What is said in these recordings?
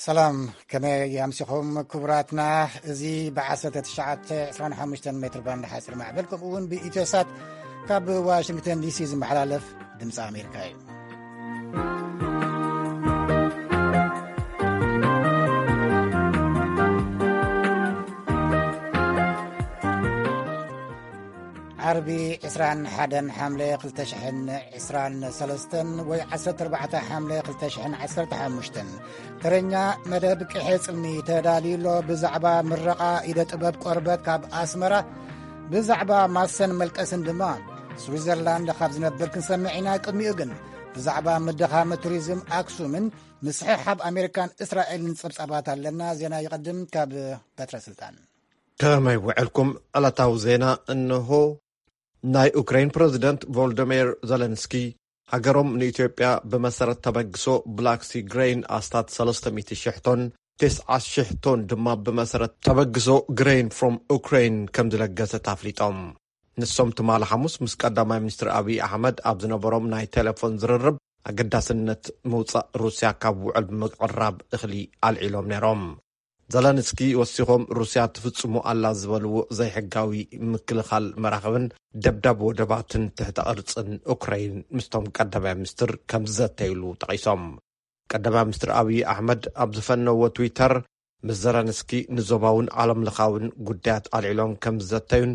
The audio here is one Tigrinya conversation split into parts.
ሰላም፣ ከመይ ኣምሲኹም ክቡራትና? እዚ ብ1925 ሜትር ባንድ ሓፂር ማዕበል፣ ከምኡ እውን ብኢትዮሳት ካብ ዋሽንግተን ዲሲ ዝመሓላለፍ ድምፂ ኣሜሪካ እዩ። ዓርቢ 21 ሓምለ 2023 ወይ 14 ሓምለ 2015፣ ተረኛ መደብ ቅሐ ጽልሚ ተዳልዩ ኣሎ። ብዛዕባ ምረቓ ኢደ ጥበብ ቆርበት ካብ ኣስመራ፣ ብዛዕባ ማሰን መልቀስን ድማ ስዊዘርላንድ ካብ ዝነብር ክንሰምዕ ኢና። ቅድሚኡ ግን ብዛዕባ ምድኻመ ቱሪዝም ኣክሱምን ምስሕሓብ ኣሜሪካን እስራኤልን ጸብጻባት ኣለና። ዜና ይቐድም ካብ በትረ ስልጣን። ከመይ ውዕልኩም? ዕለታዊ ዜና እንሆ። ናይ ኡክሬን ፕረዚደንት ቮልዶሚር ዘለንስኪ፣ ሃገሮም ንኢትዮጵያ ብመሰረት ተበግሶ ብላክ ሲ ግሬን ኣስታት 300,000 ቶን፣ 90,000 ቶን ድማ ብመሰረት ተበግሶ ግሬን ፍሮም ኡክሬን ከም ዝለገሰት ኣፍሊጦም። ንሶም ትማሊ ሓሙስ ምስ ቀዳማይ ሚኒስትር ኣብይ ኣሕመድ ኣብ ዝነበሮም ናይ ቴሌፎን ዝርርብ፣ ኣገዳስነት ምውጻእ ሩስያ ካብ ውዕል ብምቅራብ እኽሊ ኣልዒሎም ነይሮም። ዘለንስኪ ወሲኾም፣ ሩስያ ትፍጽሞ ኣላ ዝበልዎ ዘይሕጋዊ ምክልኻል መራኽብን ደብዳብ ወደባትን ትሕተ ቅርጽን ኡክራይን ምስቶም ቀዳማይ ሚኒስትር ከም ዝዘተይሉ ጠቒሶም። ቀዳማይ ሚኒስትር ኣብይ ኣሕመድ ኣብ ዝፈነዎ ትዊተር፣ ምስ ዘለንስኪ ንዞባውን ዓለም ለኻውን ጉዳያት ኣልዒሎም ከም ዝዘተዩን፣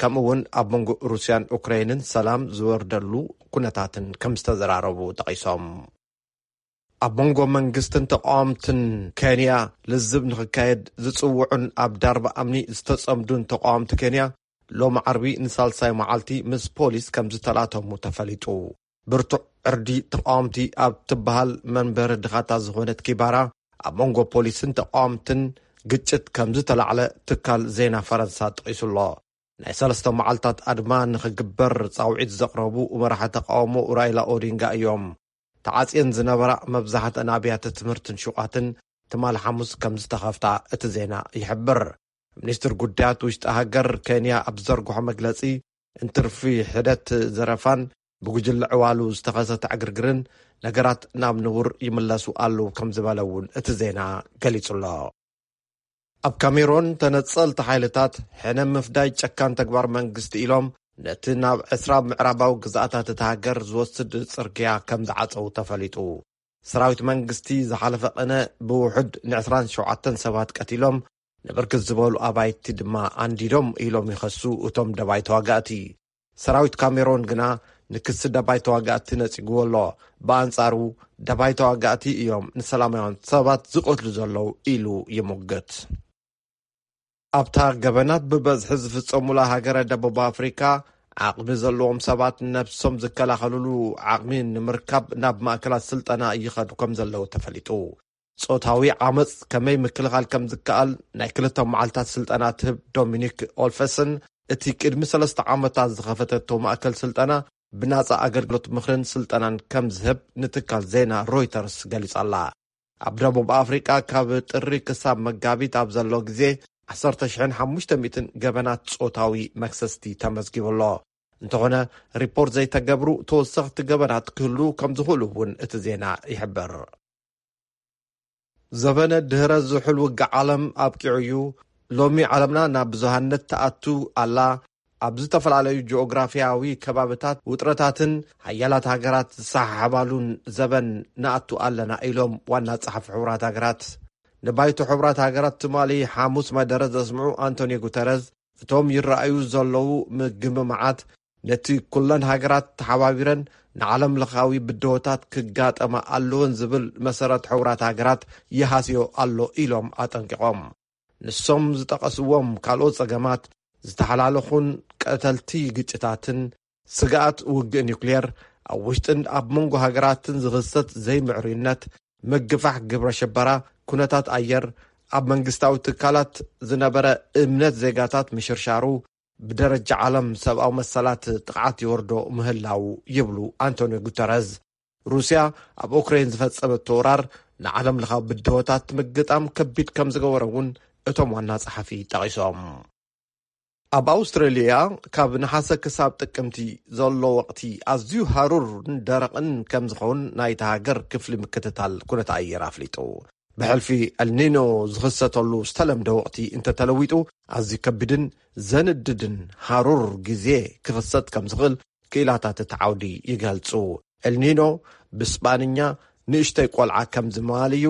ከምኡ እውን ኣብ መንጎ ሩስያን ኡክራይንን ሰላም ዝወርደሉ ኩነታትን ከም ዝተዘራረቡ ጠቒሶም። ኣብ መንጎ መንግስትን ተቃወምትን ኬንያ ልዝብ ንኽካየድ ዝጽውዑን ኣብ ዳርባ ኣምኒ ዝተጸምዱን ተቃወምቲ ኬንያ፣ ሎም ዓርቢ ንሳልሳይ መዓልቲ ምስ ፖሊስ ከም ዝተላተሙ ተፈሊጡ። ብርቱዕ ዕርዲ ተቃወምቲ ኣብ ትበሃል መንበሪ ድኻታት ዝኾነት ኪባራ፣ ኣብ መንጎ ፖሊስን ተቃወምትን ግጭት ከም ዝተላዕለ ትካል ዜና ፈረንሳ ጠቒሱ ኣሎ። ናይ ሰለስተ መዓልታት ኣድማ ንኽግበር ጻውዒት ዘቕረቡ መራሒ ተቃውሞ ራይላ ኦዲንጋ እዮም። ተዓጽየን ዝነበራ መብዛሕትአን ኣብያተ ትምህርትን ሹቓትን ትማሊ ሓሙስ ከም ዝተኸፍታ እቲ ዜና ይሕብር። ሚኒስትር ጉዳያት ውሽጢ ሃገር ኬንያ ኣብ ዝዘርግሖ መግለጺ፣ እንትርፊ ሕደት ዘረፋን ብጉጅለ ዕዋሉ ዝተኸሰተ ዕግርግርን ነገራት ናብ ንቡር ይምለሱ ኣለዉ ከም ዝበለ እውን እቲ ዜና ገሊጹ ኣሎ። ኣብ ካሜሮን ተነጸልቲ ሓይልታት ሕነ ምፍዳይ ጨካን ተግባር መንግስቲ ኢሎም ነቲ ናብ ዕስራ ምዕራባዊ ግዝኣታት እታ ሃገር ዝወስድ ጽርግያ ከም ዝዓጸዉ ተፈሊጡ። ሰራዊት መንግስቲ ዝሓለፈ ቅነ ብውሑድ ን27 ሰባት ቀቲሎም፣ ንብርክት ዝበሉ ኣባይቲ ድማ ኣንዲዶም ኢሎም ይኸሱ እቶም ደባይ ተዋጋእቲ። ሰራዊት ካሜሮን ግና ንክሲ ደባይ ተዋጋእቲ ነጺግዎ ኣሎ። ብኣንጻሩ፣ ደባይ ተዋጋእቲ እዮም ንሰላማውያን ሰባት ዝቐትሉ ዘለዉ ኢሉ ይሙግት። ኣብታ ገበናት ብበዝሒ ዝፍጸሙላ ሃገረ ደቡብ ኣፍሪካ፣ ዓቕሚ ዘለዎም ሰባት ነብሶም ዝከላኸሉሉ ዓቕሚ ንምርካብ ናብ ማእከላት ስልጠና ይኸዱ ከም ዘለዉ ተፈሊጡ። ጾታዊ ዓመጽ ከመይ ምክልኻል ከም ዝከኣል ናይ ክልተ መዓልታት ስልጠና ትህብ ዶሚኒክ ኦልፈስን፣ እቲ ቅድሚ ሰለስተ ዓመታት ዝኸፈተቶ ማእከል ስልጠና ብናጻ ኣገልግሎት ምኽርን ስልጠናን ከም ዝህብ ንትካል ዜና ሮይተርስ ገሊጻ ኣላ። ኣብ ደቡብ ኣፍሪቃ ካብ ጥሪ ክሳብ መጋቢት ኣብ ዘሎ ግዜ 10,500 ገበናት ጾታዊ መክሰስቲ ተመዝጊቡ ኣሎ። እንተኾነ፣ ሪፖርት ዘይተገብሩ ተወሰኽቲ ገበናት ክህሉ ከም ዝኽእሉ እውን እቲ ዜና ይሕብር። ዘበነ ድህረ ዝሑል ውግእ ዓለም ኣብቂዑ እዩ። ሎሚ ዓለምና ናብ ብዙሃነት ትኣቱ ኣላ። ኣብ ዝተፈላለዩ ጂኦግራፊያዊ ከባብታት ውጥረታትን ሓያላት ሃገራት ዝሰሓሓባሉን ዘበን ንኣቱ ኣለና ኢሎም ዋና ጸሓፊ ሕቡራት ሃገራት። ንባይቶ ሕቡራት ሃገራት ትማሊ ሓሙስ መደረ ዘስምዑ ኣንቶኒዮ ጉተረዝ፣ እቶም ይረኣዩ ዘለዉ ምግምማዓት ነቲ ኩለን ሃገራት ተሓባቢረን ንዓለም ለኻዊ ብድሆታት ክጋጠማ ኣለወን ዝብል መሰረት ሕቡራት ሃገራት ይሃስዮ ኣሎ ኢሎም ኣጠንቂቖም። ንሶም ዝጠቐስዎም ካልኦት ጸገማት፣ ዝተሓላለኹን ቀተልቲ ግጭታትን፣ ስግኣት ውግእ ኒውክልየር፣ ኣብ ውሽጥን ኣብ መንጎ ሃገራትን ዝኽሰት ዘይምዕሩይነት፣ ምግፋሕ ግብረ ሽበራ፣ ኩነታት ኣየር፣ ኣብ መንግስታዊ ትካላት ዝነበረ እምነት ዜጋታት ምሽርሻሩ፣ ብደረጃ ዓለም ሰብኣዊ መሰላት ጥቕዓት ይወርዶ ምህላዉ ይብሉ ኣንቶኒዮ ጉተረዝ። ሩስያ ኣብ ኡክሬን ዝፈጸመቶ ወራር ንዓለም ለኻዊ ብድሆታት ምግጣም ከቢድ ከም ዝገበረ እውን እቶም ዋና ጸሓፊ ጠቒሶም። ኣብ ኣውስትራልያ ካብ ነሓሰ ክሳብ ጥቅምቲ ዘሎ ወቕቲ ኣዝዩ ሃሩርን ደረቕን ከም ዝኸውን ናይታ ሃገር ክፍሊ ምክትታል ኩነታት ኣየር ኣፍሊጡ። ብሕልፊ ኤልኒኖ ዝኽሰተሉ ዝተለምደ ወቕቲ እንተተለዊጡ፣ ኣዝዩ ከቢድን ዘንድድን ሃሩር ግዜ ክኽሰት ከም ዝኽእል ክኢላታት እቲ ዓውዲ ይገልጹ። ኤልኒኖ ብስጳንኛ ንእሽተይ ቆልዓ ከም ዝምባል እዩ።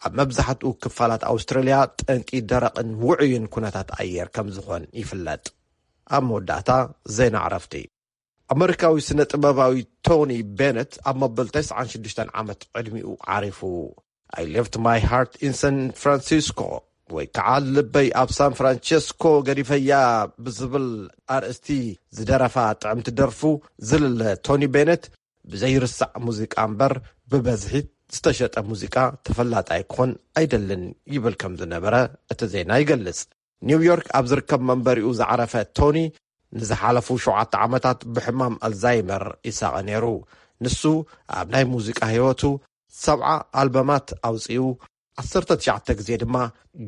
ኣብ መብዛሕትኡ ክፋላት ኣውስትራልያ ጠንቂ ደረቕን ውዑይን ኩነታት ኣየር ከም ዝኾን ይፍለጥ። ኣብ መወዳእታ ዜና ዕረፍቲ። ኣመሪካዊ ስነ ጥበባዊ ቶኒ ቤነት ኣብ መበል ተስዓን ሽዱሽተን ዓመት ዕድሚኡ ዓሪፉ። I Left My Heart in San Francisco ወይ ከዓ ልበይ ኣብ ሳን ፍራንቸስኮ ገዲፈያ ብዝብል ኣርእስቲ ዝደረፋ ጥዕምቲ ደርፉ ዝልለ ቶኒ ቤነት፣ ብዘይርሳዕ ሙዚቃ እምበር ብበዝሒ ዝተሸጠ ሙዚቃ ተፈላጣይ ክኾን ኣይደልን ይብል ከም ዝነበረ እቲ ዜና ይገልጽ። ኒውዮርክ ኣብ ዝርከብ መንበሪኡ ዝዓረፈ ቶኒ ንዝሓለፉ ሸውዓተ ዓመታት ብሕማም ኣልዛይመር ይሳቐ ነይሩ። ንሱ ኣብ ናይ ሙዚቃ ህይወቱ ሰብዓ ኣልበማት ኣውጺኡ፣ ዓሰርተ ትሽዓተ ግዜ ድማ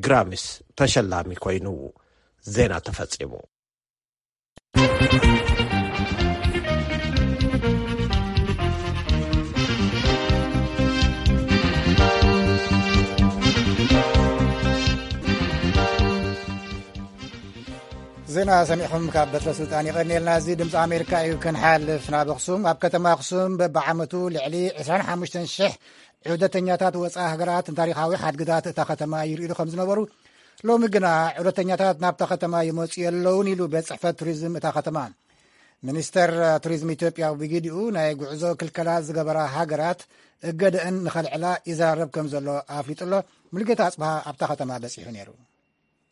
ግራሚስ ተሸላሚ ኮይኑ። ዜና ተፈጺሙ። ዜና ሰሚዕኹም ካብ በትረ ስልጣን የቐንየልና። እዚ ድምፂ ኣሜሪካ እዩ። ክንሓልፍ ናብ ኣኽሱም። ኣብ ከተማ ኣኽሱም በብዓመቱ ልዕሊ ዕስራን ሓሙሽተን ሽሕ ዑደተኛታት ወፃኢ ሃገራት ንታሪኻዊ ሓድግታት እታ ከተማ ይርእዩ ከም ዝነበሩ፣ ሎሚ ግና ዑደተኛታት ናብታ ከተማ ይመፁ የለውን ኢሉ ቤት ፅሕፈት ቱሪዝም እታ ከተማ። ሚኒስተር ቱሪዝም ኢትዮጵያ ብግዲኡ ናይ ጉዕዞ ክልከላ ዝገበራ ሃገራት እገደአን ንኸልዕላ ይዘራረብ ከም ዘሎ ኣፍሊጡ ኣሎ። ሙሉጌታ ኣጽብሃ ኣብታ ከተማ በጺሑ ነይሩ።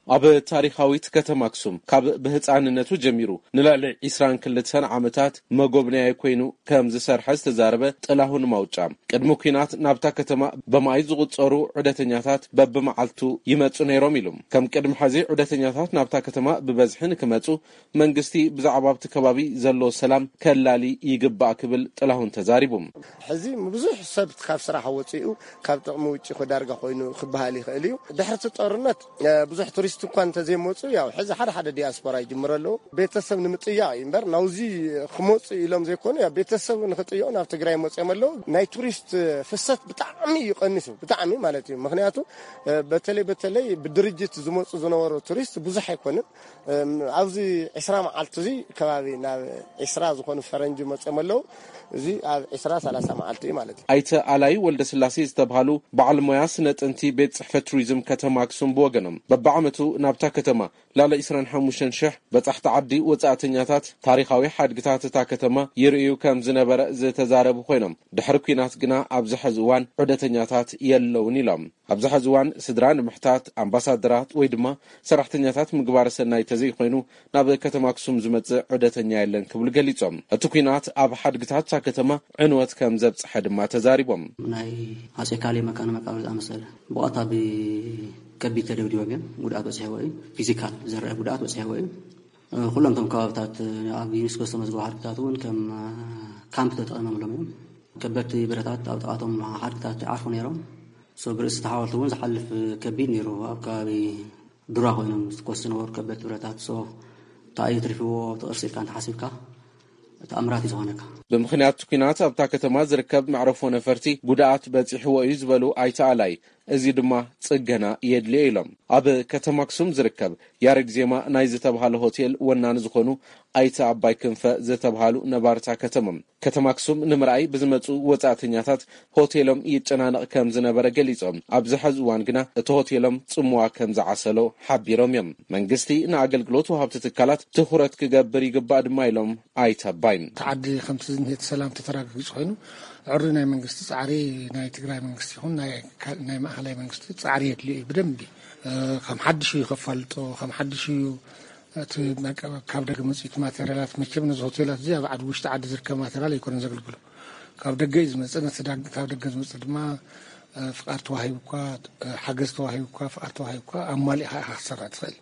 ኣብ ታሪኻዊት ከተማ ኣክሱም ካብ ብህፃንነቱ ጀሚሩ ንልዕሊ ዕስራን ክልተን ዓመታት መጎብነያይ ኮይኑ ከም ዝሰርሐ ዝተዛረበ ጥላሁን ማውጫ፣ ቅድሚ ኲናት ናብታ ከተማ ብመኣይ ዝቑጸሩ ዑደተኛታት በብመዓልቱ ይመጹ ነይሮም ኢሉ። ከም ቅድሚ ሕዚ ዑደተኛታት ናብታ ከተማ ብበዝሒ ንክመጹ መንግስቲ ብዛዕባ ኣብቲ ከባቢ ዘሎ ሰላም ከላሊ ይግባእ ክብል ጥላሁን ተዛሪቡ። ሕዚ ብዙሕ ሰብ ካብ ስራሕ ወፂኡ ካብ ጥቕሚ ውጭ ዳርጋ ኮይኑ ክበሃል ይኽእል እዩ። ድሕርቲ ጦርነት፣ እ፣ ብዙሕ ቱሪስት እኳ እንተዘይመፁ፣ ያው ሕዚ ሓደ ሓደ ዲያስፖራ ይጅምሩ ኣለዉ። ቤተሰብ ንምጥያቕ እዩ እምበር ናውዚ ክመፁ ኢሎም ዘይኮኑ፣ ያው ቤተሰብ ንክጥየቑ ናብ ትግራይ መፅኦም ኣለዉ። ናይ ቱሪስት ፍሰት ብጣዕሚ እዩ ቀኒሱ፣ ብጣዕሚ ማለት እዩ። ምክንያቱ፣ እ፣ በተለይ በተለይ ብድርጅት ዝመፁ ዝነበሩ ቱሪስት ብዙሕ ኣይኮንን። እም፣ ኣብዚ ዕስራ መዓልቲ እዚ ከባቢ ናብ ዕስራ ዝኾኑ ፈረንጂ መፅኦም ኣለዉ። እዚ ኣብ ዕስራ ሰላሳ መዓልቲ እዩ ማለት እዩ። ኣይተ ኣላይ ወልደስላሴ ዝተብሃሉ በዓል ሞያ ስነ ጥንቲ ቤት ጽሕፈት ቱሪዝም ከተማ ኣክሱም ብወገኖም፣ በብዓመቱ ናብታ ከተማ ልዕሊ ዕስራን ሓሙሽተን ሽሕ በጻሕቲ ዓዲ ወጻእተኛታት ታሪኻዊ ሓድግታት እታ ከተማ ይርእዩ ከም ዝነበረ ዝተዛረቡ ኮይኖም፣ ድሕሪ ኲናት ግና ኣብዚ ሕዚ እዋን ዑደተኛታት የለውን ኢሎም። ኣብዚ ሕዚ እዋን ስድራ ንምሕታት ኣምባሳደራት ወይ ድማ ሰራሕተኛታት ምግባረ ሰናይ ተዘይኮይኑ ናብ ከተማ ኣክሱም ዝመጽእ ዑደተኛ የለን ክብሉ ገሊጾም። እቲ ኲናት ኣብ ሓድግታት እታ ከተማ ዕንወት ከም ዘብጽሐ ድማ ተዛሪቦም። ናይ ኣጼ ካሌ መካነ መቃብር ዝኣመሰለ ብቐጥታ ብከቢድ ተደብዲቦም እዮም። ጉድኣት በጺሕዎ እዩ። ፊዚካል ዝረአ ጉድኣት በጺሕዎ እዩ። ኩሎም እቶም ከባብታት ኣብ ዩኔስኮ ዝተመዝገቡ ሓድግታት እውን ከም ካምፕ ተጠቒሞምሎም እዮም። ከበድቲ ብረታት ኣብ ጥቓቶም ሓድግታት ይዓርፉ ነይሮም። ሶ ብርእሲ እቲ ሓወልቲ እውን ዝሓልፍ ከቢድ ነይሩ። ኣብ ከባቢ ዱራ ኮይኖም ዝትኮሱ ዝነበሩ ከበድቲ ብረታት። ሶ እንታይ እዩ ትሪፍዎ እቲ ቅርሲ ኢልካ እንተሓሲብካ ተኣምራት እዩ ዝኾነካ። ብምኽንያት ኲናት ኣብታ ከተማ ዝርከብ መዕረፎ ነፈርቲ ጉድኣት በጺሕዎ እዩ ዝበሉ ኣይተ ኣላይ፣ እዚ ድማ ጽገና የድልዮ ኢሎም። ኣብ ከተማ ኣክሱም ዝርከብ ያሬድ ዜማ ናይ ዝተባህለ ሆቴል ወናኒ ዝኾኑ ኣይተ ኣባይ ክንፈ ዝተባህሉ ነባርታ ከተማ፣ ከተማ ኣክሱም ንምርኣይ ብዝመጹ ወጻእተኛታት ሆቴሎም ይጨናነቕ ከም ዝነበረ ገሊጾም፣ ኣብዚ ሕዚ እዋን ግና እቲ ሆቴሎም ጽምዋ ከም ዝዓሰሎ ሓቢሮም እዮም። መንግስቲ ንኣገልግሎት ወሃብቲ ትካላት ትኹረት ክገብር ይግባእ ድማ ኢሎም ኣይተ ኣባይ። እቲ ዓዲ ከምቲ ዝኒሄ እቲ ሰላም ተተረጋጊጹ ኮይኑ፣ ዕሪ ናይ መንግስቲ ጻዕሪ፣ ናይ ትግራይ መንግስቲ ይኹን ናይ ካ-፣ ናይ ማእኸላይ መንግስቲ ጻዕሪ የድልዮ እዩ ብደንቢ። እ፣ ከም ሓድሽ እዩ ከፋልጦ፣ ከም ሓድሽ እዩ እቲ መቀ-፣ ካብ ደገ መጽኡ እቲ ማቴሪያላት። መቸም ነዚ ሆቴላት እዚ ኣብ ዓዲ፣ ውሽጢ ዓዲ ዝርከብ ማቴሪያል ኣይኮነን ዘገልግሎ፣ ካብ ደገ እዩ ዝመጽእ። ነቲ ዳ-፣ ካብ ደገ ዝመጽእ ድማ፣ እ፣ ፍቃድ ተዋሂቡ እኳ፣ እ፣ ሓገዝ ተዋሂቡ እኳ፣ ፍቃድ ተዋሂቡ እኳ ኣማሊእኻ ኢኻ ክትሰርሕ ትኽእል።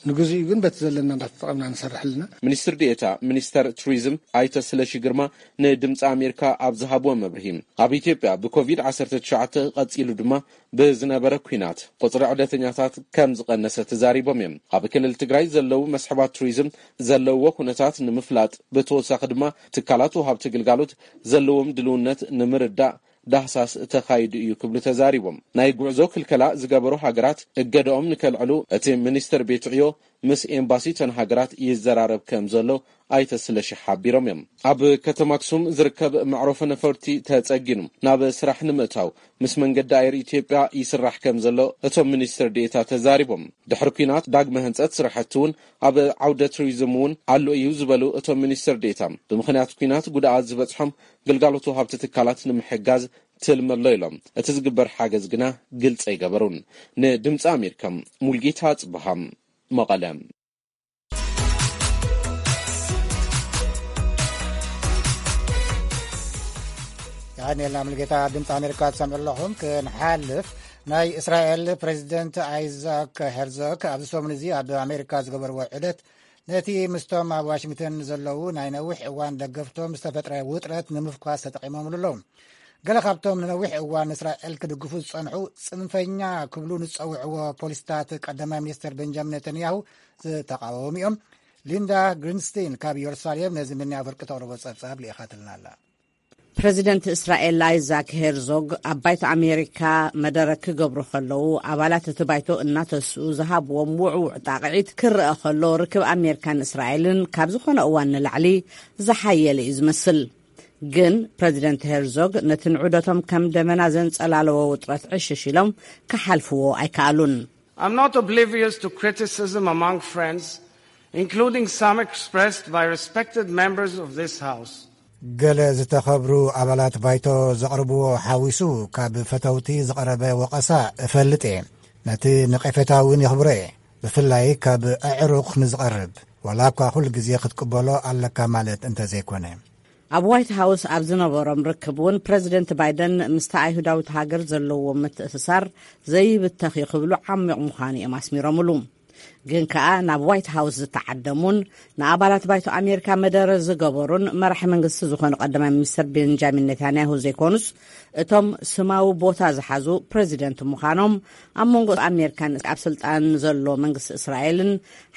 ንግዚኡ ግን በቲ ዘለና እንዳተጠቐምና ንሰርሕ ኣለና። ሚኒስትር ዴኤታ ሚኒስተር ቱሪዝም ኣይተ ስለሺ ግርማ ንድምፂ ኣሜሪካ ኣብ ዝሃብዎ መብርሂ፣ ኣብ ኢትዮጵያ ብኮቪድ ዓሰርተ ትሽዓተ ቀፂሉ ድማ ብዝነበረ ኲናት ቁፅሪ ዑደተኛታት ከም ዝቐነሰ ተዛሪቦም እዮም። ኣብ ክልል ትግራይ ዘለዉ መስሕባት ቱሪዝም ዘለውዎ ኩነታት ንምፍላጥ፣ ብተወሳኺ ድማ ትካላት ወሃብቲ ግልጋሎት ዘለዎም ድልውነት ንምርዳእ ዳህሳስ ተኻይዱ እዩ ክብሉ ተዛሪቦም። ናይ ጉዕዞ ክልከላ ዝገበሩ ሃገራት እገደኦም ንከልዕሉ እቲ ሚኒስትር ቤት ዕዮ ምስ ኤምባሲተን ሃገራት ይዘራረብ ከም ዘሎ ኣይተ ስለሺ ሓቢሮም እዮም። ኣብ ከተማ ኣክሱም ዝርከብ መዕረፎ ነፈርቲ ተጸጊኑ ናብ ስራሕ ንምእታው ምስ መንገዲ ኣየር ኢትዮጵያ ይስራሕ ከም ዘሎ እቶም ሚኒስትር ዴኤታ ተዛሪቦም። ድሕሪ ኲናት ዳግመ ህንጸት ስራሕቲ እውን ኣብ ዓውደ ቱሪዝም እውን ኣሎ እዩ ዝበሉ እቶም ሚኒስትር ዴኤታ፣ ብምኽንያት ኲናት ጉድኣት ዝበጽሖም ግልጋሎት ወሃብቲ ትካላት ንምሕጋዝ ትልሚ ኣሎ ኢሎም። እቲ ዝግበር ሓገዝ ግና ግልጺ ኣይገበሩን። ንድምፂ ኣሜሪካ ሙልጌታ ጽብሃም መቐለ። ዳንኤል ኣምልጌታ ድምፂ ኣሜሪካ ትሰምዑ ኣለኹም። ክንሓልፍ፣ ናይ እስራኤል ፕሬዚደንት ኣይዛክ ሄርዞግ ኣብዚ ሰሙን እዚ ኣብ ኣሜሪካ ዝገበርዎ ዑደት ነቲ ምስቶም ኣብ ዋሽንግተን ዘለዉ ናይ ነዊሕ እዋን ደገፍቶም ዝተፈጥረ ውጥረት ንምፍኳስ ተጠቒሞምሉ ኣለዉ። ገለ ካብቶም ንነዊሕ እዋን እስራኤል ክድግፉ ዝጸንሑ ጽንፈኛ ክብሉ ንጸውዕዎ ፖሊስታት ቀዳማይ ሚኒስትር ቤንጃሚን ኔተንያሁ ዝተቃወሙ እዮም። ሊንዳ ግሪንስቴን ካብ ኢየሩሳሌም ነዚ ምንያ ፍርቂ ተቕርቦ ጸብጻብ ልኢኻትልና ኣላ። ፕረዚደንት እስራኤል ኣይዛክ ሄርዞግ ኣብ ባይቶ ኣሜሪካ መደረ ክገብሩ ከለዉ፣ ኣባላት እቲ ባይቶ እናተስኡ ዝሃብዎም ውዕውዕ ጣቕዒት ክረአ ከሎ፣ ርክብ ኣሜሪካን እስራኤልን ካብ ዝኾነ እዋን ንላዕሊ ዝሓየለ እዩ ዝመስል። ግን ፕረዚደንት ሄርዞግ ነቲ ንዑደቶም ከም ደመና ዘንጸላለዎ ውጥረት ዕሽሽ ኢሎም ክሓልፍዎ ኣይከኣሉን። I'm not oblivious to criticism among friends, including some expressed by respected members of this House. ገለ ዝተኸብሩ ኣባላት ባይቶ ዘቕርብዎ ሓዊሱ ካብ ፈተውቲ ዝቐረበ ወቐሳ እፈልጥ እየ። ነቲ ነቐፌታ እውን የኽብሮ እየ፣ ብፍላይ ካብ ኣዕሩኽ ንዝቐርብ፣ ዋላ እኳ ኩሉ ግዜ ክትቅበሎ ኣለካ ማለት እንተዘይኮነ። ኣብ ዋይት ሃውስ ኣብ ዝነበሮም ርክብ እውን ፕረዚደንት ባይደን ምስቲ ኣይሁዳዊት ሃገር ዘለዎ ምትእስሳር ዘይብተኽ እዩ ክብሉ ዓሚቕ ምዃኑ እዮም ኣስሚሮምሉ። ግን ከኣ ናብ ዋይት ሃውስ ዝተዓደሙን ንኣባላት ባይቶ ኣሜሪካ መደረ ዝገበሩን መራሒ መንግስቲ ዝኾኑ ቀዳማይ ሚኒስትር ቤንጃሚን ኔታንያሁ ዘይኮኑስ፣ እቶም ስማዊ ቦታ ዝሓዙ ፕረዚደንት ምዃኖም ኣብ መንጎ ኣሜሪካን ኣብ ስልጣን ዘሎ መንግስቲ እስራኤልን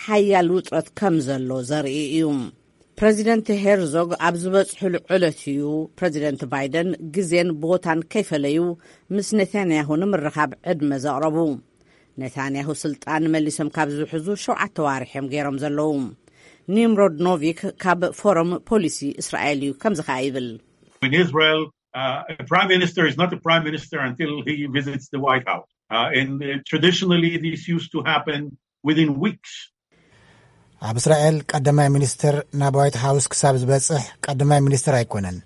ሓያል ውጥረት ከም ዘሎ ዘርኢ እዩ። ፕረዚደንት ሄርዞግ ኣብ ዝበጽሕሉ ዕለት እዩ ፕረዚደንት ባይደን ግዜን ቦታን ከይፈለዩ ምስ ኔታንያሁ ንምርኻብ ዕድመ ዘቕረቡ። ኔታንያሁ ስልጣን መሊሶም ካብ ዝሕዙ ሸውዓተ ዋርሕ እዮም ገይሮም ዘለዉ። ኒምሮድ ኖቪክ ካብ ፎረም ፖሊሲ እስራኤል እዩ፣ ከምዚ ኸኣ ይብል። In Israel, uh, a prime minister is not a prime minister until he visits the White House. Uh, and uh, traditionally, this used to happen within weeks. ኣብ እስራኤል ቀዳማይ ሚኒስትር ናብ ዋይት ሃውስ ክሳብ ዝበጽሕ ቀዳማይ ሚኒስትር ኣይኮነን።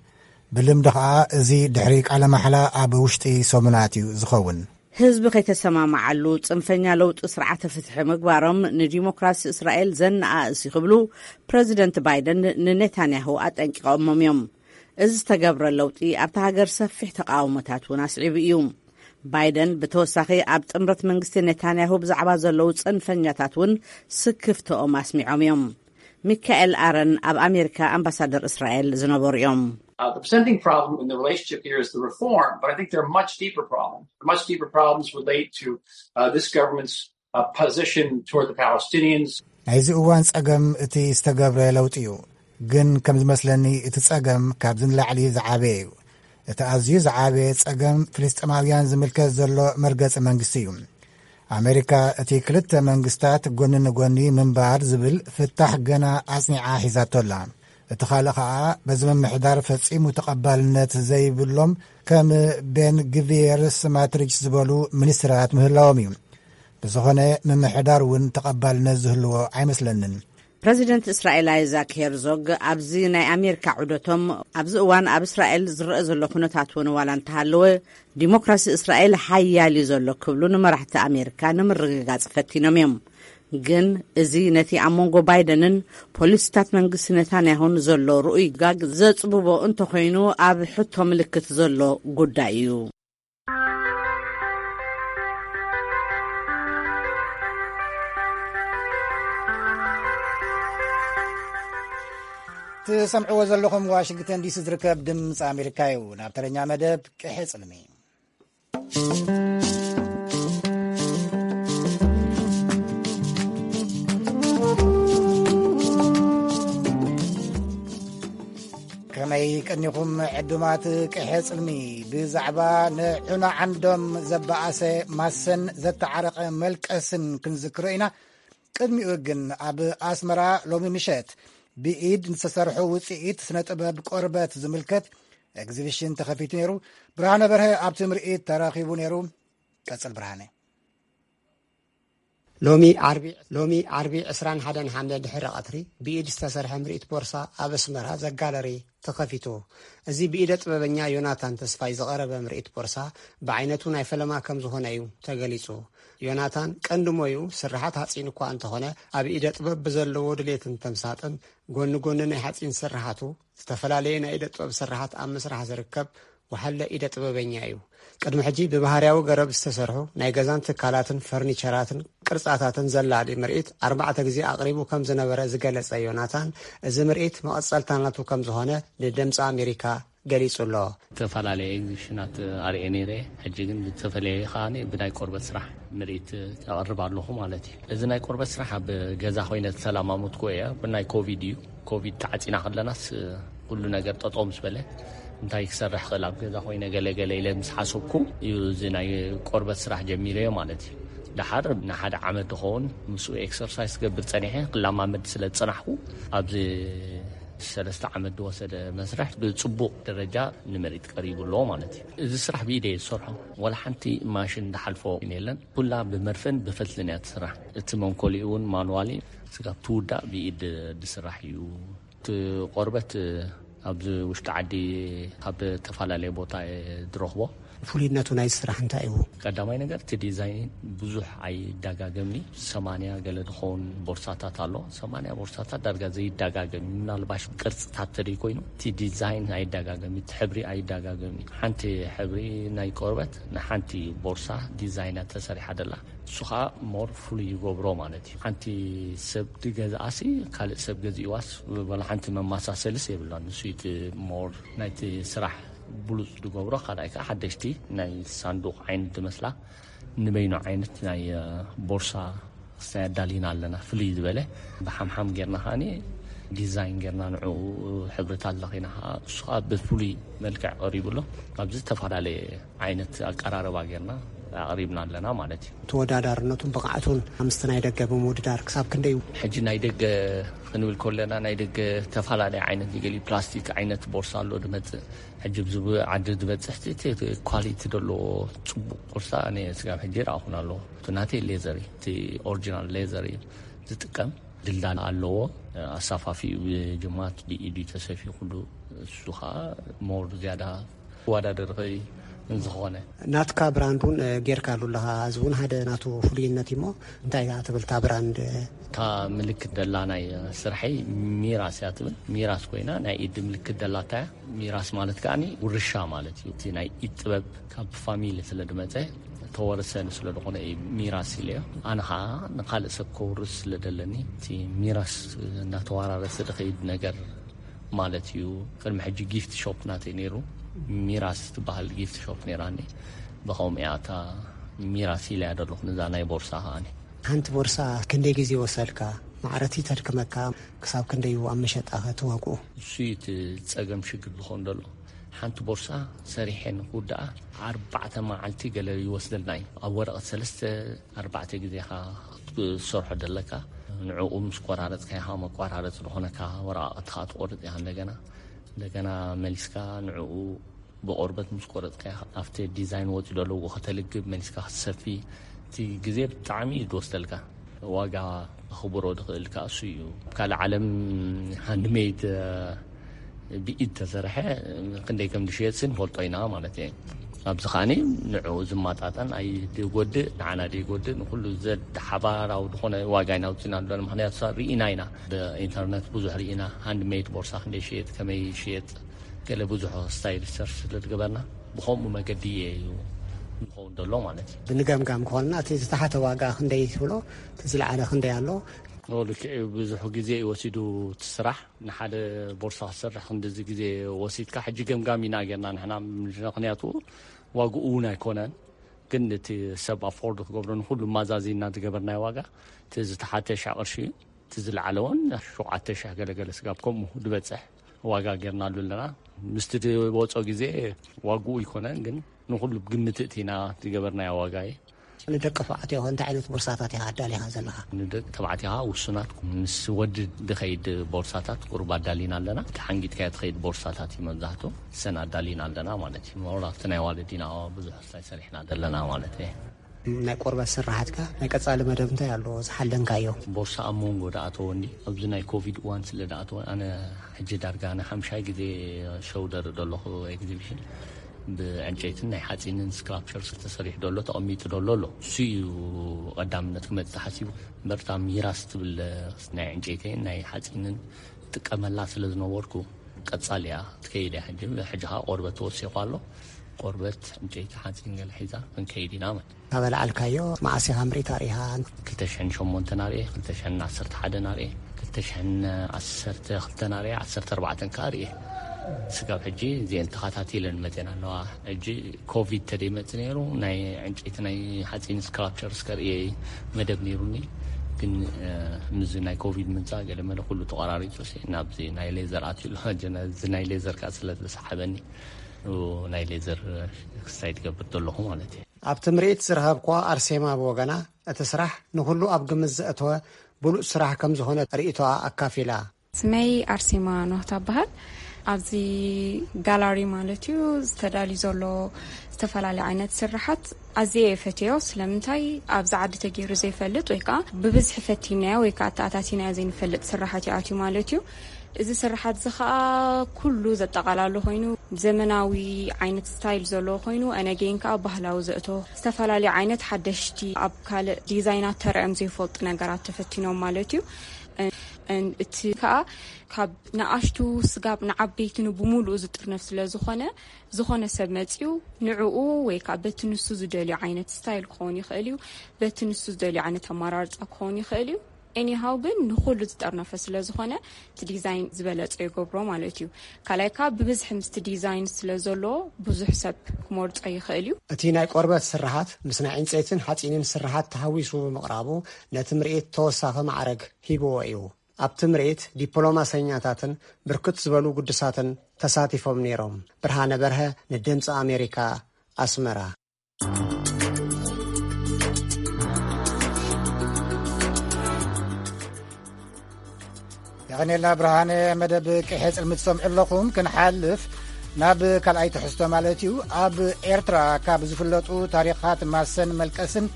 ብልምዲ ኸኣ እዚ ድሕሪ ቃለ ማሕላ ኣብ ውሽጢ ሰሙናት እዩ ዝኸውን። ህዝቢ ከይተሰማማዓሉ ጽንፈኛ ለውጢ ስርዓተ ፍትሒ ምግባሮም ንዲሞክራሲ እስራኤል ዘነኣእስ እዩ ክብሉ ፕረዚደንት ባይደን ንኔታንያሁ ኣጠንቂቖሞም እዮም። እዚ ዝተገብረ ለውጢ ኣብታ ሃገር ሰፊሕ ተቃውሞታት እውን ኣስዒቡ እዩ። ባይደን ብተወሳኺ ኣብ ጥምረት መንግስቲ ኔታንያሁ ብዛዕባ ዘለዉ ጽንፈኛታት እውን ስክፍተኦም ኣስሚዖም እዮም። ሚካኤል ኣረን ኣብ ኣሜሪካ ኣምባሳደር እስራኤል ዝነበሩ እዮም። Uh, the presenting problem in the relationship here is the reform, but I think there are much deeper problems. The much deeper problems relate to uh, this government's uh, position toward the Palestinians. ናይዚ እዋን ጸገም እቲ ዝተገብረ ለውጢ እዩ። ግን ከም ዝመስለኒ እቲ ጸገም ካብዚ ንላዕሊ ዝዓበየ እዩ። እቲ ኣዝዩ ዝዓበየ ጸገም ፍልስጤማውያን ዝምልከት ዘሎ መርገጺ መንግስቲ እዩ። ኣሜሪካ እቲ ክልተ መንግስታት ጎኒ ንጎኒ ምንባር ዝብል ፍታሕ ገና ኣጽኒዓ ሒዛቶ ኣላ። እቲ ካልእ ኸኣ በዚ ምምሕዳር ፈጺሙ ተቐባልነት ዘይብሎም ከም ቤን ግቪየር ስማትሪች ዝበሉ ሚኒስትራት ምህላዎም እዩ። ብዝኾነ ምምሕዳር እውን ተቐባልነት ዝህልዎ ኣይመስለንን። ፕረዚደንት እስራኤል ኣይዛክ ሄርዞግ ኣብዚ ናይ ኣሜሪካ ዑደቶም ኣብዚ እዋን ኣብ እስራኤል ዝረአ ዘሎ ኩነታት እውን ዋላ እንተሃለወ ዲሞክራሲ እስራኤል ሓያል እዩ ዘሎ ክብሉ ንመራሕቲ ኣሜሪካ ንምርግጋጽ ፈቲኖም እዮም። ግን እዚ ነቲ ኣብ መንጎ ባይደንን ፖሊሲታት መንግስቲ ነታንያሁን ዘሎ ርኡይ ጋግ ዘጽብቦ እንተኾይኑ ኣብ ሕቶ ምልክት ዘሎ ጉዳይ እዩ። ትሰምዕዎ ዘለኹም ዋሽንግተን ዲሲ ዝርከብ ድምፂ ኣሜሪካ እዩ። ናብ ተረኛ መደብ ቅሐ ጽልሚ። ከመይ ቀኒኹም ዕዱማት ቅሐ ጽልሚ፣ ብዛዕባ ንዑና ዓንዶም ዘበኣሰ ማሰን ዘተዓረቐ መልቀስን ክንዝክሮ ኢና። ቅድሚኡ ግን ኣብ ኣስመራ ሎሚ ምሸት ብኢድ ዝተሰርሑ ውጽኢት ስነ ጥበብ ቆርበት ዝምልከት ኤግዚቢሽን ተኸፊቱ ነይሩ። ብርሃነ በርሀ ኣብቲ ምርኢት ተረኺቡ ነይሩ። ቀጽል ብርሃነ። ሎሚ ዓርቢ ሎሚ ዓርቢ ዕስራን ሓደን ሓምለ ድሕሪ ቀትሪ ብኢድ ዝተሰርሐ ምርኢት ቦርሳ ኣብ ኣስመራ ዘጋለሪ ተኸፊቱ። እዚ ብኢደ ጥበበኛ ዮናታን ተስፋይ ዝቐረበ ምርኢት ቦርሳ ብዓይነቱ ናይ ፈለማ ከም ዝኾነ እዩ ተገሊጹ። ዮናታን ቀንዲ ሞዩ ስርሓት ሓጺን እኳ እንተኾነ፣ ኣብ ኢደ ጥበብ ብዘለዎ ድሌትን ተምሳጥን ጎኒ ጎኒ ናይ ሓጺን ስርሓቱ ዝተፈላለየ ናይ ኢደ ጥበብ ስርሓት ኣብ ምስራሕ ዝርከብ ወሓለ ኢደ ጥበበኛ እዩ። ቅድሚ ሕጂ ብባህርያዊ ገረብ ዝተሰርሑ ናይ ገዛን ትካላትን ፈርኒቸራትን ቅርጻታትን ዘላሊ ምርኢት ኣርባዕተ ግዜ ኣቕሪቡ ከም ዝነበረ ዝገለጸ ዮናታን፣ እዚ ምርኢት መቐጸልታ ናቱ ከም ዝኾነ ንድምፂ ኣሜሪካ ገሊጹ ኣሎ። ዝተፈላለየ ኤግዚቢሽናት ኣርእየ ነይረ። ሕጂ ግን ብዝተፈለየ ከኣ ብናይ ቆርበት ስራሕ ምርኢት ኣቕርብ ኣለኹ ማለት እዩ። እዚ ናይ ቆርበት ስራሕ ኣብ ገዛ ኮይነ ዝተለማመድኩ እየ። ብናይ ኮቪድ እዩ። ኮቪድ ተዓጺና ከለናስ ኩሉ ነገር ጠጠው ምስ በለ እንታይ ክሰርሕ ክእል ኣብ ገዛ ኮይነ ገለ ገለ ኢለ ምስ ሓሰብኩ እዩ እዚ ናይ ቆርበት ስራሕ ጀሚረዮ ማለት እዩ። ደሓር ንሓደ ዓመት ዝኸውን ምስኡ ኤክሰርሳይዝ ክገብር ጸኒሐ፣ ክለማመድ ስለ ዝጸናሕኩ ኣብዚ ሰለስተ ዓመት ዝወሰደ መስርሕ ብጽቡቕ ደረጃ ንምርኢት ቀሪቡ ኣሎ ማለት እዩ። እዚ ስራሕ ብኢደ እየ ዝሰርሖ። ዋላ ሓንቲ ማሽን ዝሓልፎ የለን። ኩላ ብመርፍእን ብፈትልን እያ ትስራሕ። እቲ መንኮሊኡ እውን ማንዋሊ፣ ስጋብ ትውዳእ ብኢድ ዝስራሕ እዩ። እቲ ቆርበት ኣብዚ ውሽጢ ዓዲ ካብ ዝተፈላለየ ቦታ እየ ዝረኽቦ። ፍሉይነቱ ናይ ስራሕ እንታይ እዩ? ቀዳማይ ነገር እቲ ዲዛይን ብዙሕ ኣይዳጋገምኒ። ሰማንያ ገለ ዝኸውን ቦርሳታት ኣሎ። ሰማንያ ቦርሳታት ዳርጋ ዘይዳጋገም፣ ምናልባሽ ቅርጽታት ተደይ ኮይኑ እቲ ዲዛይን ኣይዳጋገም፣ እቲ ሕብሪ ኣይዳጋገም። ሓንቲ ሕብሪ ናይ ቆርበት ንሓንቲ ቦርሳ ዲዛይና ተሰሪሓ ደላ፣ እሱ ኸዓ ሞር ፍሉይ ይገብሮ ማለት እዩ። ሓንቲ ሰብ ድገዝኣሲ ካልእ ሰብ ገዚእዋስ ወላ ሓንቲ መመሳሰልስ የብላን። ንሱ እቲ ሞር ናይቲ ስራሕ ብሉጽ ድገብሮ። ካልኣይ ከዓ ሓደሽቲ ናይ ሳንዱቕ ዓይነት ድመስላ ንበይኑ ዓይነት ናይ ቦርሳ ክስታይ ኣዳሊና ኣለና። ፍልይ ዝበለ ብሓምሓም ጌርና ከዓኒ ዲዛይን ጌርና ንዕኡ ሕብርታት ለኺና ከዓ እሱ ከዓ ብፍሉይ መልክዕ ቀሪቡ ኣሎ። ኣብዚ ዝተፈላለየ ዓይነት ኣቀራርባ ጌርና ኣቕሪብና ኣለና ማለት እዩ። ተወዳዳርነቱን ብቕዓቱን ምስቲ ናይ ደገ ብምውድዳር ክሳብ ክንደይ እዩ? ሕጂ ናይ ደገ ክንብል ከለና ናይ ደገ ተፈላለየ ዓይነት ገሊ ፕላስቲክ ዓይነት ቦርሳ ኣሎ ድመፅእ። ሕጂ ኣብዚ ዓዲ ዝበፅሕ እቲ ኳሊቲ ዘለዎ ፅቡቕ ቦርሳ ኣነ ስጋብ ሕጂ ረኣኹን ኣለዎ። እቲ ናተይ ሌዘር እዩ፣ እቲ ኦሪጂናል ሌዘር እዩ ዝጥቀም። ድላን ኣለዎ። ኣሳፋፊኡ ብጅማት ብኢዱ ተሰፊ ኩሉ እሱ ከዓ ሞር ዝያዳ ክወዳደር ይኽእል እዩ። ዝኾነ ናትካ ብራንድ እውን ጌርካ ኣሉ ኣለኻ። እዚ እውን ሓደ ናቱ ፍሉይነት እዩሞ እንታይ እያ ትብል እታ ብራንድ? እታ ምልክት ደላ ናይ ስርሐይ ሚራስ እያ ትብል። ሚራስ ኮይና ናይ ኢድ ምልክት ደላታ እያ። ሚራስ ማለት ከዓኒ ውርሻ ማለት እዩ። እቲ ናይ ኢድ ጥበብ ካብ ፋሚሊ ስለ ድመፀ ተወርሰኒ ስለ ዝኾነ እዩ ሚራስ ኢለዮ። ኣነ ኸዓ ንኻልእ ሰብ ከውርስ ስለ ደለኒ እቲ ሚራስ እናተወራረሰ ድኸይድ ነገር ማለት እዩ። ቅድሚ ሕጂ ጊፍት ሾፕ ናተይ ነይሩ፣ ሚራስ ትበሃል ጊፍት ሾፕ ነይራኒ። ብኸምኡ እያ እታ ሚራስ ኢለያ ዘለኹ ንዛ ናይ ቦርሳ ከዓኒ። ሓንቲ ቦርሳ ክንደይ ግዜ ወሰድካ? ማዕረቲ ተድክመካ? ክሳብ ክንደይ እዩ ኣብ መሸጣ ከ እቲ ዋግኡ? እሱ እዩ እቲ ጸገም ሽግር ዝኾን ዘሎ። ሓንቲ ቦርሳ ሰሪሐ ንክውድኣ ኣርባዕተ መዓልቲ ገለ ይወስደልና እዩ። ኣብ ወረቐት ሰለስተ ኣርባዕተ ግዜ ኢኻ ክትሰርሖ ደለካ። ንዕኡ ምስ ቆራረጽካ ኢኻ መቋራረጽ ዝኾነካ ወረቓቕትኻ ትቆርጽ ኢኻ። እንደገና እንደገና መሊስካ ንዕኡ ብቆርበት ምስ ቆረጽካ ኢኻ ኣብቲ ዲዛይን ወጺኡ ደለዎ ከተልግብ መሊስካ ክትሰፊ። እቲ ግዜ ብጣዕሚ እዩ ዝወስደልካ። ዋጋ ክኽብሮ ድኽእል ከኣ እሱ እዩ። ኣብ ካልእ ዓለም ሃንድሜድ ብኢድ ተሰርሐ ክንደይ ከም ዝሽየጥ ንፈልጦ ኢና ማለት እየ። ኣብዚ ከዓኒ ንዕኡ ዝመጣጠን ኣይድጎድእ፣ ንዓና ደይጎድእ፣ ንኩሉ ዘድ ሓባራዊ ዝኾነ ዋጋ ኢና ኣውፂና ኣለና። ምክንያቱ ሪኢና ኢና፣ ብኢንተርነት ብዙሕ ሪኢና፣ ሃንድሜድ ቦርሳ ክንደይ ሽየጥ፣ ከመይ ሽየጥ፣ ገለ ብዙሕ ስታይ ሪሰርች ስለ ዝገበርና ብኸምኡ መገዲ እዩ ዝኸውን ዘሎ ማለት እዩ። ብንገምጋም ከኾንና እቲ ዝተሓተ ዋጋ ክንደይ ትብሎ፣ እቲ ዝለዓለ ክንደይ ኣሎ? ኦ፣ ልክዕ እዩ። ብዙሕ ግዜ እዩ ወሲዱ እቲ ስራሕ። ንሓደ ቦርሳ ክሰርሕ ክንድዚ ግዜ ወሲድካ፣ ሕጂ ገምጋም ኢና ጌርና ንሕና፣ ምክንያቱ ዋግኡ እውን ኣይኮነን፣ ግን እቲ ሰብ ኣፎርድ ክገብሮ ንኩሉ ማዛዚና ዝገበርናዮ ዋጋ እቲ ዝተሓተ ሽሕ ቅርሺ እዩ። እቲ ዝለዓለ እውን ሸውዓተ ሽሕ ገለገለ ስጋብ ከምኡ ዝበፅሕ ዋጋ ጌርናሉ ኣለና። ምስቲ ዝወጾ ግዜ ዋግኡ ኣይኮነን፣ ግን ንኹሉ ብግምት እቲና ዝገበርናዮ ዋጋ እዩ። ንደቂ ተባዕትዮ እንታይ ዓይነት ቦርሳታት ኢኻ ኣዳሊኻ ዘለኻ? ንደቂ ተባዕትዮ ውሱናት ምስ ወዲ ዝኸይድ ቦርሳታት ቁሩብ ኣዳሊና ኣለና። ተሓንጊጥካዮ ትኸይድ ቦርሳታት እዩ መብዛሕትኡ፣ እሰን ኣዳሊና ኣለና ማለት እዩ። ሞር ኣብቲ ናይ ዋለዲና ብዙሕ ስታይ ሰሪሕና ዘለና ማለት እዩ። ናይ ቆርበት ስራሓትካ ናይ ቀጻሊ መደብ እንታይ ኣሎ ዝሓለንካዮ? ቦርሳ ኣብ መንጎ ደኣተወ እንዲ ኣብዚ ናይ ኮቪድ እዋን ስለ ደኣተወ፣ ኣነ ሕጂ ዳርጋ ንሓምሻይ ግዜ ሸውደር ደለኹ ኤግዚቢሽን። ብዕንጨይትን ናይ ሓፂንን ስክላፕቸርስ ተሰሪሑ ደሎ ተቐሚጡ ደሎ ኣሎ። እሱ እዩ ቀዳምነት ክመፅእ ተሓሲቡ። እምበር እታ ሚራስ ትብል ናይ ዕንጨይትን ናይ ሓፂንን ጥቀመላ ስለ ዝነበርኩ ቀፃል እያ ትከይድ እያ። ሕጂ ሕጂ ከዓ ቆርበት ተወሲኹ ኣሎ። ቆርበት፣ ዕንጨይቲ፣ ሓፂን ገለ ሒዛ ክንከይድ ኢና ማለት። ካበላዓልካዮ መዓስ ኢኻ ምርኢት ኣርኢኻ? ክልተ ሽሕን ሸሞንተን ኣርኤ፣ ክልተ ሽሕን ዓሰርተ ሓደን ኣርኤ፣ ክልተ ሽሕን ዓሰርተ ክልተን ኣርኤ፣ ዓሰርተ ኣርባዕተን ከኣ ኣርኤ። ስጋብ ሕጂ እዚአን ተኸታቲለን መፅየን ኣለዋ። ሕጂ ኮቪድ ተደይመፅ ነይሩ፣ ናይ ዕንጨይቲ ናይ ሓፂን ስክላፕቸርስ ከርእየ መደብ ነይሩኒ። ግን ምስ ናይ ኮቪድ ምምፃእ ገለ መለ ኩሉ ተቋራሪፁ፣ ናብዚ ናይ ሌዘር ኣትዩ ኣሎ። እዚ ናይ ሌዘር ከዓ ስለ ዝተሰሓበኒ ናይ ሌዘር ክስታይ ትገብር ዘለኹ ማለት እዩ። ኣብቲ ምርኢት ዝረኸብኳ ኣርሴማ ብወገና፣ እቲ ስራሕ ንኹሉ ኣብ ግምት ዘእተወ ብሉጽ ስራሕ ከም ዝኾነ ርእይቶኣ ኣካፊላ። ስመይ ኣርሴማ ኖህ ትበሃል። ኣብዚ ጋላሪ ማለት እዩ ዝተዳልዩ ዘሎ ዝተፈላለዩ ዓይነት ስራሓት ኣዝየ እየ ፈትዮ። ስለምንታይ ኣብዚ ዓዲ ተገይሩ ዘይፈልጥ ወይ ከዓ ብብዝሒ ፈቲናዮ ወይ ከዓ ተኣታቲናዮ ዘይንፈልጥ ስራሓት ይኣትዩ ማለት እዩ። እዚ ስራሓት እዚ ከዓ ኩሉ ዘጠቓላሉ ኮይኑ ዘመናዊ ዓይነት ስታይል ዘለዎ ኮይኑ ኣነጌን ከዓ ባህላዊ ዘእቶ ዝተፈላለዩ ዓይነት ሓደሽቲ ኣብ ካልእ ዲዛይናት ተረኦም ዘይፈልጡ ነገራት ተፈቲኖም ማለት እዩ። እቲ ከዓ ካብ ንኣሽቱ ስጋብ ንዓበይቲ ንብሙሉኡ ዝጥርነፍ ስለ ዝኾነ፣ ዝኾነ ሰብ መፂኡ ንዕኡ ወይ ከዓ በቲ ንሱ ዝደልዮ ዓይነት ስታይል ክኸውን ይኽእል እዩ፣ በቲ ንሱ ዝደልዮ ዓይነት ኣማራርፃ ክኸውን ይኽእል እዩ። ኤኒሃው ግን ንኹሉ ዝጠርነፈ ስለ ዝኾነ እቲ ዲዛይን ዝበለፀ ይገብሮ ማለት እዩ። ካልኣይ ከዓ ብብዝሒ ምስቲ ዲዛይን ስለ ዘሎ ብዙሕ ሰብ ክመርፆ ይኽእል እዩ። እቲ ናይ ቆርበት ስርሓት ምስ ናይ ዕንፀይትን ሓፂንን ስርሓት ተሃዊሱ ብምቕራቡ ነቲ ምርኢት ተወሳኺ ማዕረግ ሂብዎ እዩ። ኣብቲ ምርኢት ዲፕሎማሰኛታትን ብርክት ዝበሉ ግዱሳትን ተሳቲፎም ነይሮም። ብርሃነ በርሀ ንድምፂ ኣሜሪካ ኣስመራ። የቐኔልና ብርሃነ። መደብ ቅሔ ጽልሚ ትሰምዑ ኣለኹም። ክንሓልፍ ናብ ካልኣይ ትሕዝቶ ማለት እዩ። ኣብ ኤርትራ ካብ ዝፍለጡ ታሪኻት ማሰን መልቀስን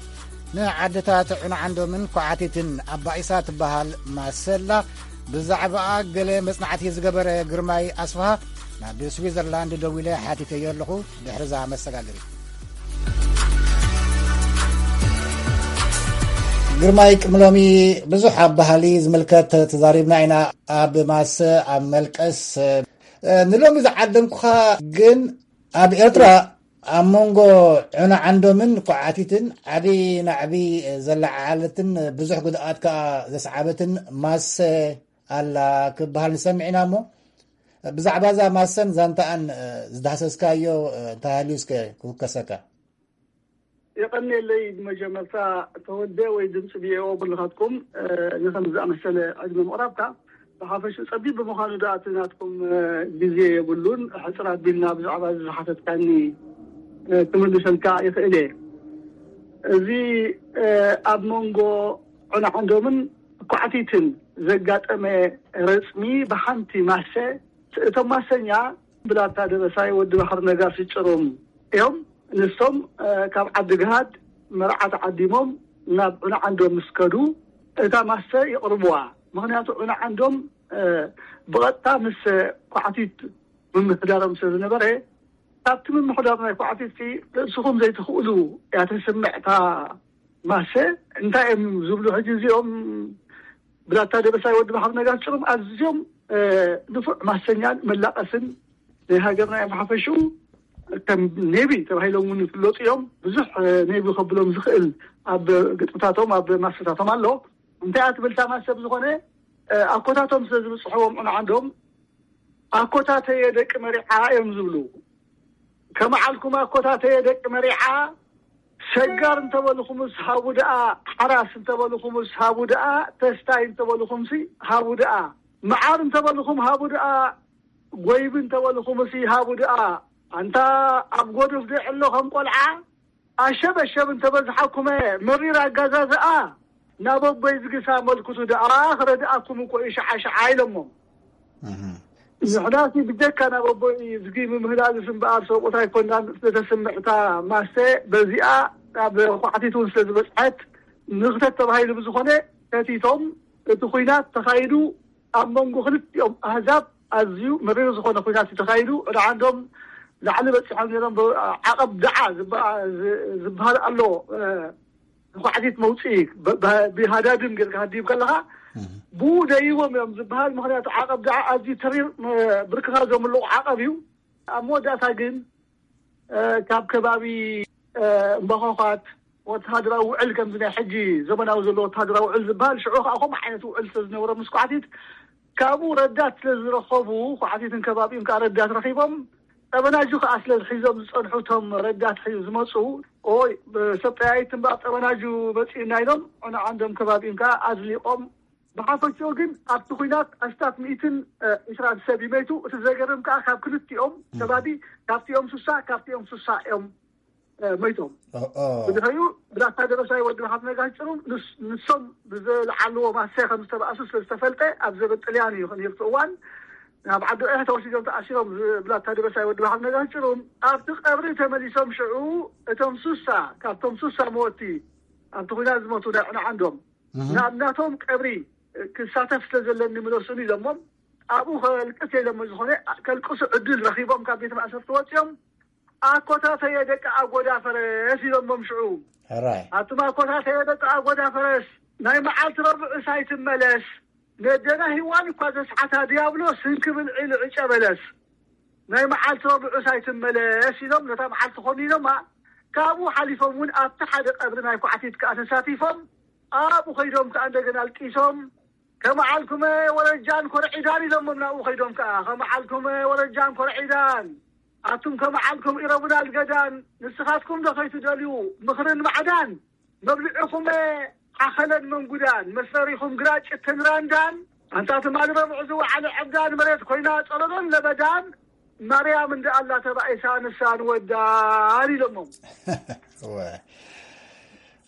ንዓድታት ዑናዓንዶምን ኳዓቲትን ኣባኢሳ ትበሃል ማሰላ። ብዛዕባኣ ገለ መጽናዕቲ ዝገበረ ግርማይ ኣስፍሃ ናብ ስዊዘርላንድ ደዊለ ሓቲተዮ ኣለኹ። ድሕርዛ መሰጋገሪ ግርማይ፣ ቅድሚ ሎሚ ብዙሕ ኣብ ባህሊ ዝምልከት ተዛሪብና ኢና። ኣብ ማሰ፣ ኣብ መልቀስ፣ እ፣ ንሎሚ ዝዓደምኩኻ ግን ኣብ ኤርትራ ኣብ መንጎ ዑና ዓንዶምን ኳዓቲትን ዓቢ ናዕቢ ዘለዓዓለትን ብዙሕ ጉድኣት ከኣ ዘስዓበትን ማሰ ኣላ ክበሃል ንሰምዕ ኢና እሞ፣ ብዛዕባ እዛ ማሰን ዛንታኣን፣ እ፣ ዝዳህሰስካዮ፣ እ፣ እንተሃልዩ እስከ ክውከሰካ። የቐንየለይ። ብመጀመርታ ተወልደ ወይ ድምፂ ቪኦኤ ብልኻትኩም፣ እ፣ ንከም ዝኣመሰለ ዕድመ ምቕራብካ ብሓፈሽኡ ጸቢብ ብምዃኑ ደኣ እቲ ናትኩም፣ እ፣ ግዜ የብሉን። ሕጽር ኣቢልና ብዛዕባ እዚ ዝሓተትካኒ፣ እ፣ ክምልሰልካ ይኽእል እየ። እዚ፣ እ፣ ኣብ መንጎ ዑና ዓንዶምን ኳዕቲትን ዘጋጠመ ረጽሚ ብሓንቲ ማሰ፣ እቶም ማሰኛ ብላታ ደበሳይ ወዲ ባሕሪ ነጋሲ ጭሩም እዮም። ንሶም፣ እ፣ ካብ ዓዲ ግሃድ መርዓ ተዓዲሞም ናብ ዑና ዓንዶም ምስ ከዱ፣ እታ ማሰ ይቕርብዋ። ምኽንያቱ ዑና ዓንዶም፣ እ፣ ብቐጥታ ምስ ኳዕቲት ምምሕዳሮም ስለ ዝነበረ፣ ካብቲ ምምሕዳር ናይ ኳዕቲትሲ ርእስኹም ዘይትኽእሉ እያ ተስምዕ እታ ማሰ። እንታይ እዮም ዝብሉ ሕጂ እዚኦም? ብላታ ደበሳይ ወዲ ባሕሪ ነጋሲ ጭሩም ኣዝዮም፣ እ፣ ንፉዕ ማሰኛን መላቐስን ናይ ሃገርና እዮም። ሓፈሽኡ ከም ኔቪ ተባሂሎም እውን ይፍለጡ እዮም። ብዙሕ፣ እ፣ ኔቪ ከብሎም ዝኽእል ኣብ ግጥምታቶም፣ ኣብ ማሰታቶም ኣሎ። እንታይ እያ ትብል እታ ማሰ? ብዝኾነ፣ እ፣ ኣኮታቶም ስለ ዝብጽሕዎም ዑና ዓንዶም ኣኮታተየ ደቂ መሪዓ እዮም ዝብሉ። ከመዓልኩም ኣኮታተየ ደቂ መሪዓ፣ ሰጋር እንተበልኹምስ ሃቡ ደኣ፣ ሓራስ እንተበልኹምስ ሃቡ ደኣ፣ ተስታይ እንተበልኹምሲ ሃቡ ደኣ፣ መዓር እንተበልኹም ሃቡ ደኣ፣ ጎይቢ እንተበልኹምሲ ሃቡ ደኣ፣ ኣንታ ኣብ ጎድፍ ዶ ኣሎ ከም ቆልዓ? ኣሸበሸብ እንተበዝሓኩመ መሪር ኣጋዛዝኣ፣ ናብ ኣቦይ ዝግሳ መልክቱ ደኣ ክረድኣኩም እኮ እዩ ሸዓ ሸዓ ኢሎሞም። እህ። ንሕናሲ ብጀካ ናብ ኣቦይ ዝጊ ምምህላልስ እምበኣር ሰብኡት ኣይኮናን። ስለተስምዕታ ማሰ በዚኣ ናብ ኳዕቲት እውን ስለ ዝበጽሐት ንኽተት ተባሂሉ ብዝኾነ ተቲቶም እቲ ኲናት ተኻይዱ ኣብ መንጎ ክልቲኦም ኣህዛብ ኣዝዩ መሪር ዝኾነ ኲናት እዩ ተኻይዱ። ወደ ዓንዶም ላዕሊ በጺሖም ነይሮም። ብ-፣ ዓቐብ ደዓ ዝበ-፣ ዝ-፣ ዝበሃል ኣሎ፣ እ፣ ንኳዕቲት መውፅኢ ብ-፣ ብ-፣ ብሃዳድን ጌርካ ሃዲም ከለኻ እህ። ብኡ ደይቦም እዮም ዝበሃል። ምኽንያቱ ዓቐብ ደዓ ኣዝዩ ተሪር፣ እ፣ ብርክኻ ዘምልቑ ዓቐብ እዩ። ኣብ መወዳእታ ግን፣ እ፣ ካብ ከባቢ፣ እ፣ እምባኾዃት ወተሃደራዊ ውዕል ከምዚ ናይ ሕጂ ዘመናዊ ዘሎ ወተሃደራዊ ውዕል ዝበሃል፣ ሽዑ ከዓ ከምኡ ዓይነት ውዕል ስለ ዝነበሮ ምስ ኳዕቲት ካብኡ ረዳት ስለ ዝረኸቡ፣ ኳዕቲትን ከባቢኡን ከዓ ረዳት ረኺቦም፣ ጠበናጁ ከዓ ስለ ሒዞም ዝጸንሑ እቶም ረዳት ሒዙ ዝመጹ፣ ኦይ፣ ሰብ ጠያይት እምበኣር ጠበናጁ መጺኡና ኢሎም፣ ንዓንዶም ከባቢኡን ከዓ ኣዝሊቖም። ብሓፈሽኡ ግን ኣብቲ ኲናት ኣስታት ሚእትን ዒስራን ሰብ ይመይቱ። እቲ ዘገርም ከዓ ካብ ክልቲኦም ከባቢ፣ ካብቲኦም ሱሳ፣ ካብቲኦም ሱሳ እዮም፣ እ፣ መይቶም። ኦ፣ ኦ። ብድሕሪኡ ብላታ ደበሳይ ወዲ ብሓፍ ነጋሽ ጭሩም፣ ንስ-፣ ንሶም ብዝለዓልዎ ማሰ ከም ዝተባእሱ ስለ ዝተፈልጠ፣ ኣብ ዘበን ጥልያን እዩ ነይሩ እቲ እዋን። ናብ ዓዲ ዑሕ ተወሲዶም ተኣሲሮም ዝ-፣ ብላታ ደበሳይ ወዲ ብሓፍ ነጋሽ ጭሩም። ኣብቲ ቀብሪ ተመሊሶም ሽዑ እቶም ሱሳ፣ ካብቶም ሱሳ መወቲ፣ ኣብቲ ኲናት ዝሞቱ ናይ ዕነ ዓንዶም፣ እህ። ናብ ናቶም ቀብሪ ክሳተፍ ስለ ዘለኒ ምለሱኒ ኢሎሞም፣ ኣብኡ ከልቅስ ኢሎሞ። ዝኾነ ከልቅሱ ዕድል ረኺቦም ካብ ቤት ማእሰርቲ ወፂኦም፣ "ኣኮታተየ ደቂ ኣጎዳ ፈረስ" ኢሎሞም። ሽዑ ሕራይ። ኣቱም ኣኮታተየ ደቂ ኣጎዳ ፈረስ፣ ናይ መዓልቲ ረቡዕስ ኣይትመለስ፣ ነደና ሂዋን እኳ ዘስዓታ ዲያብሎስ እንክብል ዒሉ ዕጨ በለስ፣ ናይ መዓልቲ ረቡዕስ ኣይትመለስ ኢሎም ነታ መዓልቲ ኮኒኖማ። ካብኡ ሓሊፎም እውን ኣብቲ ሓደ ቀብሪ ናይ ኳዕቲት ከኣ ተሳቲፎም፣ ኣብኡ ከይዶም ከኣ እንደገና ኣልቂሶም፣ "ከመዓልኩመ ወረጃን ኮርዒዳን" ኢሎሞም። ናብኡ ከይዶም ከኣ፣ "ከመዓልኩመ ወረጃን ኮርዒዳን፣ ኣቱም ከመዓልኩም ኢረቡና ልገዳን፣ ንስኻትኩም ዶ ከይትደልዩ ምኽርን ማዕዳን? መብልዕኹመ ሓኸለን መንጉዳን፣ መስረሪኹም ግራጭ ተንራንዳን፣ ኣንታ ትማሊ ረቡዕ ዝወዓለ ዕብዳን መሬት ኮይና ጸለሎን ለበዳን፣ ማርያም እንደ ኣላ ተባኢሳ ንሳ ንወዳን" ኢሎሞም። እወ።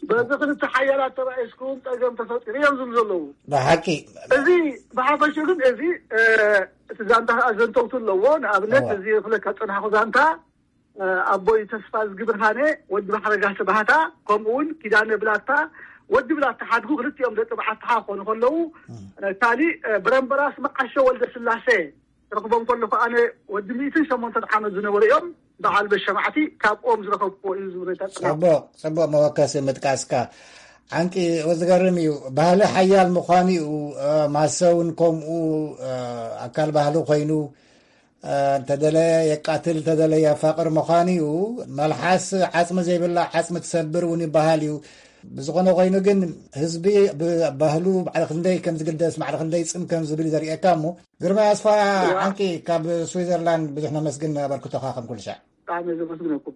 በዚ ክልተ ሓያላት ተባኢስኩም ጸገም ተፈጢሩ እዮም ዝብሉ ዘለዉ። ብሓቂ። እዚ ብሓፈሽኡ ግን እዚ፣ እ፣ እቲ ዛንታ ከኣ ዘንተውቱ ኣለዎ። ንኣብነት እወ። እዚ ክብለካ ዝጸናሕኩ ዛንታ፣ እ፣ ኣቦይ ተስፋ ዝግብርሃነ ወዲ ባሕረ ጋሽ ባህታ፣ ከምኡ እውን ኪዳነ ብላታ ወዲ ብላታ ሓድጉ፣ ክልቲኦም ደቂ በዓልትኻ ክኾኑ ከለዉ፣ እም። እ፣ ካሊእ፣ እ፣ ብረምበራስ መዓሾ ወልደ ስላሴ ክረኽቦም ከለኹ ኣነ ወዲ ሚእትን ሸሞንተን ዓመት ዝነበሩ እዮም። በዓል በሸማዕቲ ካብኦም ዝረኸብኩዎ እዩ ዝብል። ጽቡቕ፣ ጽቡቕ መወከሲ ምጥቃስካ። ዓንቂ፣ ዝገርም እዩ። ባህሊ ሓያል ምዃኑ እዩ። እ፣ ማሰ እውን ከምኡ፣ እ፣ ኣካል ባህሊ ኮይኑ፣ እ፣ እንተደለየ የቃትል፣ እንተደለየ የፋቕር ምዃኑ እዩ። መልሓስ ዓጽሚ ዘይብላ ዓጽሚ ትሰብር እውን ይበሃል እዩ። ብዝኾነ ኮይኑ ግን ህዝቢ ብባህሉ ማዕረ ክንደይ ከም ዝግደስ፣ ማዕረ ክንደይ ጽን ከም ዝብል እዩ ዘርእየካ። እሞ ግርማይ ኣስፋ፣ እዋ። ዓንቂ፣ ካብ ስዊዘርላንድ ብዙሕ ነመስግን ኣበርክቶኻ ከም ኩሉ ሻዕ። ብጣዕሚ ዘመስግነኩም።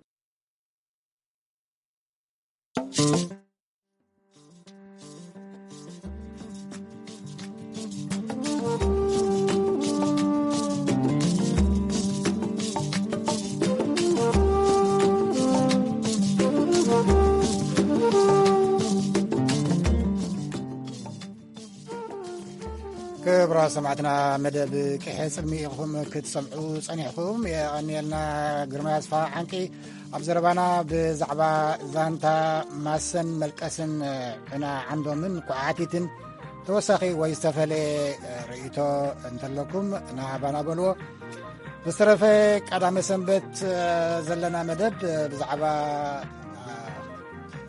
ክቡራት ሰማዕትና፣ መደብ ቅሐ ጽልሚ ኢኹም ክትሰምዑ ጸኒሕኩም። የቐንየልና ግርማይ ኣስፋ ዓንቂ ኣብ ዘረባና ብዛዕባ ዛንታ ማሰን መልቀስን ዕና ዓንዶምን ኳዕቲትን ተወሳኺ ወይ ዝተፈለየ ርእይቶ እንተለኩም ንሃባና በልዎ። ብዝተረፈ ቀዳመ ሰንበት ዘለና መደብ ብዛዕባ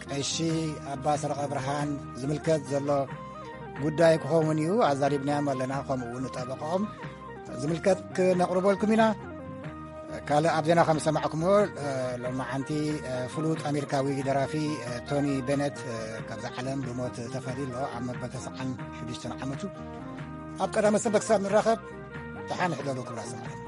ቀሺ ኣባ ሰረቐ ብርሃን ዝምልከት ዘሎ ጉዳይ ክኸውን እዩ። ኣዛሪብናዮም ኣለና፣ ከምኡ እውን ንጠበቃኦም ዝምልከት ክነቕርበልኩም ኢና። ካልእ ኣብ ዜና ከም ዝሰማዕኩምዎ፣ ሎማዓንቲ ፍሉጥ ኣሜሪካዊ ደራፊ ቶኒ ቤነት ካብዛ ዓለም ብሞት ተፈልዩ ኣሎ። ኣብ መበል ተስዓን ሽዱሽተን ዓመቱ። ኣብ ቀዳመ ሰንበት ክሳብ ንራኸብ፣ ደሓን ሕደሩ ክብራ ሰማዕና።